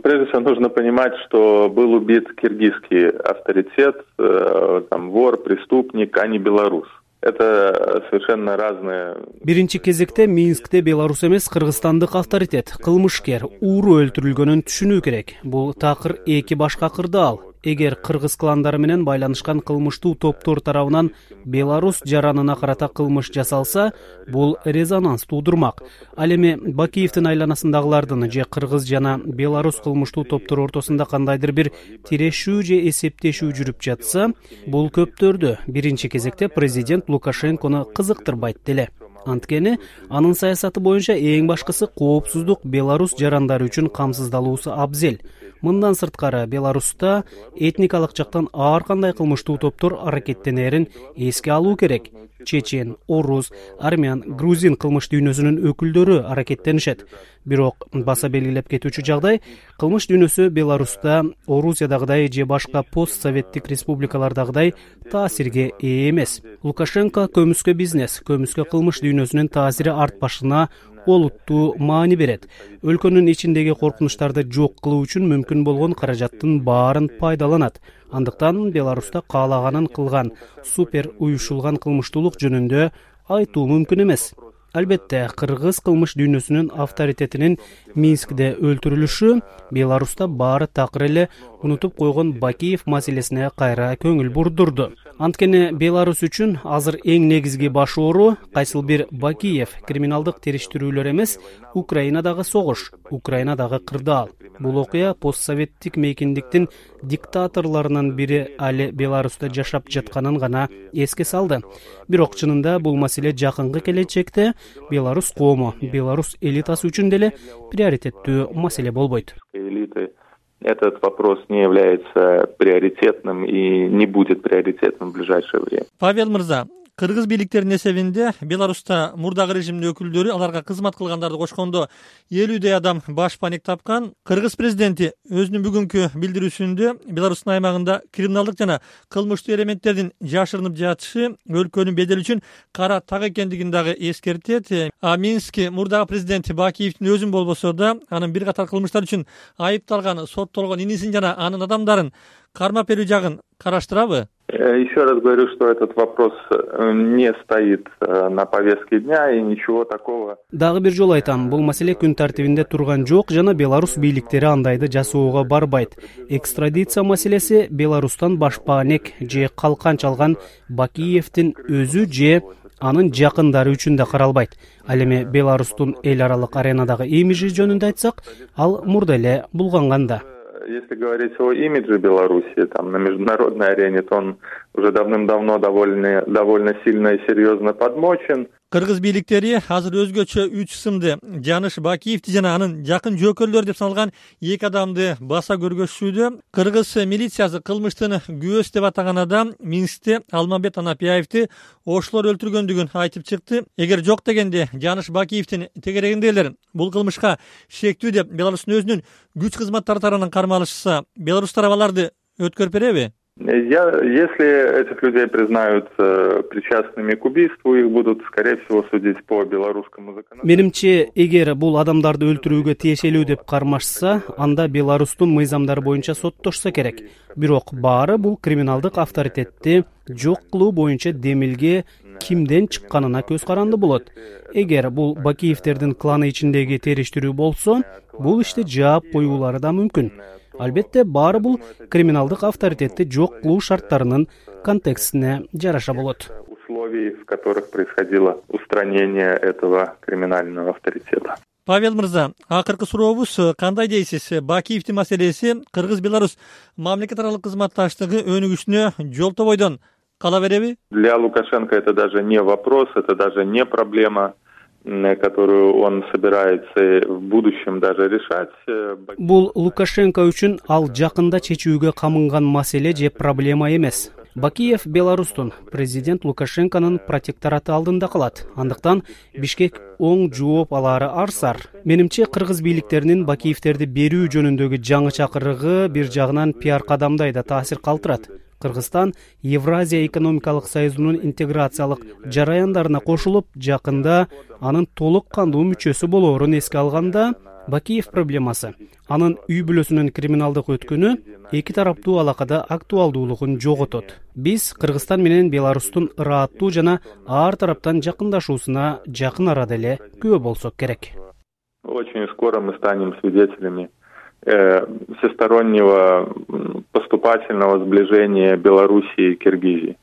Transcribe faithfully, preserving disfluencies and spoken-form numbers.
Прежде всего нужно понимать, что был убит киргизский авторитет, там, вор, преступник, а не белорус. Это совершенно разные. Биринчи кезекте Минскте белорус эмес, кыргызстандык авторитет, кылмышкер, ууру өлтүрүлгөнүн түшүнүү керек. Бул такыр эки башка кырдаал. Эгер кыргыз кландары менен байланышкан кылмыштуу топтор тарабынан Беларусь жаранына карата кылмыш жасалса, бул резонанс туудурмак. Ал эми Бакиевдин айланасындагылардын же кыргыз жана белорус кылмыштуу топтор ортосунда кандайдыр бир тирешүү же эсептешүү жүрүп жатса, бул көптөрдү биринчи кезекте президент Лукашенкону кызыктырбайт деле. Анткени анын саясаты боюнча эң башкысы коопсуздук Беларусь жарандары үчүн камсыздалуусу абзел. Мындан сырткары Беларуста этникалык жактан ар кандай кылмыштуу топтор аракеттенерин эске алуу керек. Чечен, орус, армян, грузин кылмыш дүйнөсүнүн өкүлдөрү аракеттенишет. Бирок баса белгилеп кетүүчү жагдай, кылмыш дүйнөсү Беларуста Орусиядагыдай же башка постсоветтик республикалардагыдай таасирге ээ эмес. Лукашенко көмүскө бизнес, көмүскө кылмыш дүйнөсүнүн таасири артпашына олуттуу маани берет. Өлкөнүн ичиндеги коркунучтарды жок кылуу үчүн мүмкүн болгон каражаттын баарын пайдаланат. Андыктан Беларуста каалаганын кылган, супер уюшулган кылмыштуулук жөнүндө айтуу мүмкүн эмес. Албетте, кыргыз кылмыш дүйнөсүнүн авторитетинин Минскде өлтүрүлүшү Беларуста баары такыр эле унутуп койгон Бакиев маселесине кайра көңүл бурдурду. Анткени Беларусь үчүн азыр эң негизги баш оору кайсыл бир Бакиев криминалдык териштирүүлөр эмес, Украинадагы согуш, Украинадагы кырдаал. Бул окуя постсоветтик мейкиндиктин диктаторлорунун бири али Беларуста жашап жатканын гана эске салды. Бирок чынында бул маселе жакынкы келечекте Беларусь коому, Беларусь элитасы үчүн деле приоритеттүү маселе болбойт. Этот вопрос не является приоритетным и не будет приоритетным в ближайшее время. Павел мырза, кыргыз бийликтеринин эсебинде Беларуста мурдагы режимдин өкүлдөрү аларга кызмат кылгандарды кошкондо элүүдөй адам баш паник тапкан. Кыргыз президенти өзүнүн бүгүнкү билдирүүсүндө Беларустун аймагында криминалдык жана кылмыштуу элементтердин жашырынып жатышы өлкөнүн бедели үчүн кара так экендигин дагы эскертет. А Минск мурдагы президент Бакиевдин өзүн болбосо да анын бир катар кылмыштар үчүн айыпталган, соттолгон инисин жана анын адамдарын кармап берүү жагын караштырабы? Еще раз говорю, что этот вопрос не стоит на повестке дня и ничего такого. Дагы бир жолу айтам, бул маселе күн тартибинде турган жок жана Беларусь бийликтери андайды жасоого барбайт. Экстрадиция маселеси Беларустан башпаанек же калкан чалган Бакиевдин өзү же анын жакындары үчүн да каралбайт. Ал эми Беларустун эл аралык аренадагы имиджи жөнүндө айтсак, ал мурда эле булганганда. Если говорить о имидже Беларуси там, на международной арене, то он уже давным-давно довольно, довольно сильно и серьезно подмочен. Кыргыз бийликтери азыр өзгөчө үч сымды Жаныш Бакиевди жана анын жакын жөкөлдөр деп саналган эки адамды баса көргөзүшүүдө. Кыргыз милициясы кылмыштын күбөсү деп атаган адам Минскте Алмамбет Анапияевди ошолор өлтүргөндүгүн айтып чыкты. Эгер жок дегенде Жаныш Бакиевдин тегерегиндейлер бул кылмышка шектүү деп Беларустун өзүнүн күч кызматтары тарабынан кармалышса, Беларусь тарабы аларды өткөрүп береби? Я, если этих людей признают э, причастными к убийству, их будут, скорее всего, судить по белорусскому законодательству. Менимче, эгер бул адамдарды өлтүрүүгө тиешелүү деп кармашса, анда Беларустун мыйзамдары боюнча соттошсо керек. Бирок баары бул криминалдык авторитетти жок кылуу боюнча демилге кимден чыкканына көз каранды болот. Эгер бул Бакиевдердин кланы ичиндеги териштирүү болсо, бул ишти жаап коюулары да мүмкүн. Албетте, баары бул криминалдык авторитетти жок кылуу шарттарынын контекстине жараша болот. Условий, в которых происходило устранение этого криминального авторитета. Павел мырза, акыркы сурообуз кандай дейсиз? Бакиевдин маселеси Кыргыз-Беларусь мамлекет аралык кызматташтыгы өнүгүшүнө жолтобойдон кала береби? Для Лукашенко это даже не вопрос, это даже не проблема, которую он собирается в будущем даже решать. Бул Лукашенко үчүн ал жакында чечүүгө камынган маселе же проблема эмес. Бакиев Беларустун президент Лукашенконун протектораты алдында калат. Андыктан Бишкек оң жооп алары арсар. Менимче, кыргыз бийликтеринин Бакиевдерди берүү жөнүндөгү жаңы чакырыгы бир жагынан пиар кадамдай да таасир калтырат. Кыргызстан Евразия экономикалык союзунун интеграциялык жараяндарына кошулуп, жакында анын толук кандуу мүчөсү болоорун эске алганда, Бакиев проблемасы. Анын үй бүлөсүнүн криминалдык өткөнү эки тараптуу алакада актуалдуулугун жоготот. Биз Кыргызстан менен Беларустун ырааттуу жана ар тараптан жакындашуусуна жакын арада эле күбө болсок керек. Очень скоро мы станем свидетелями э, всестороннего поступательного сближения Белоруссии и Киргизии.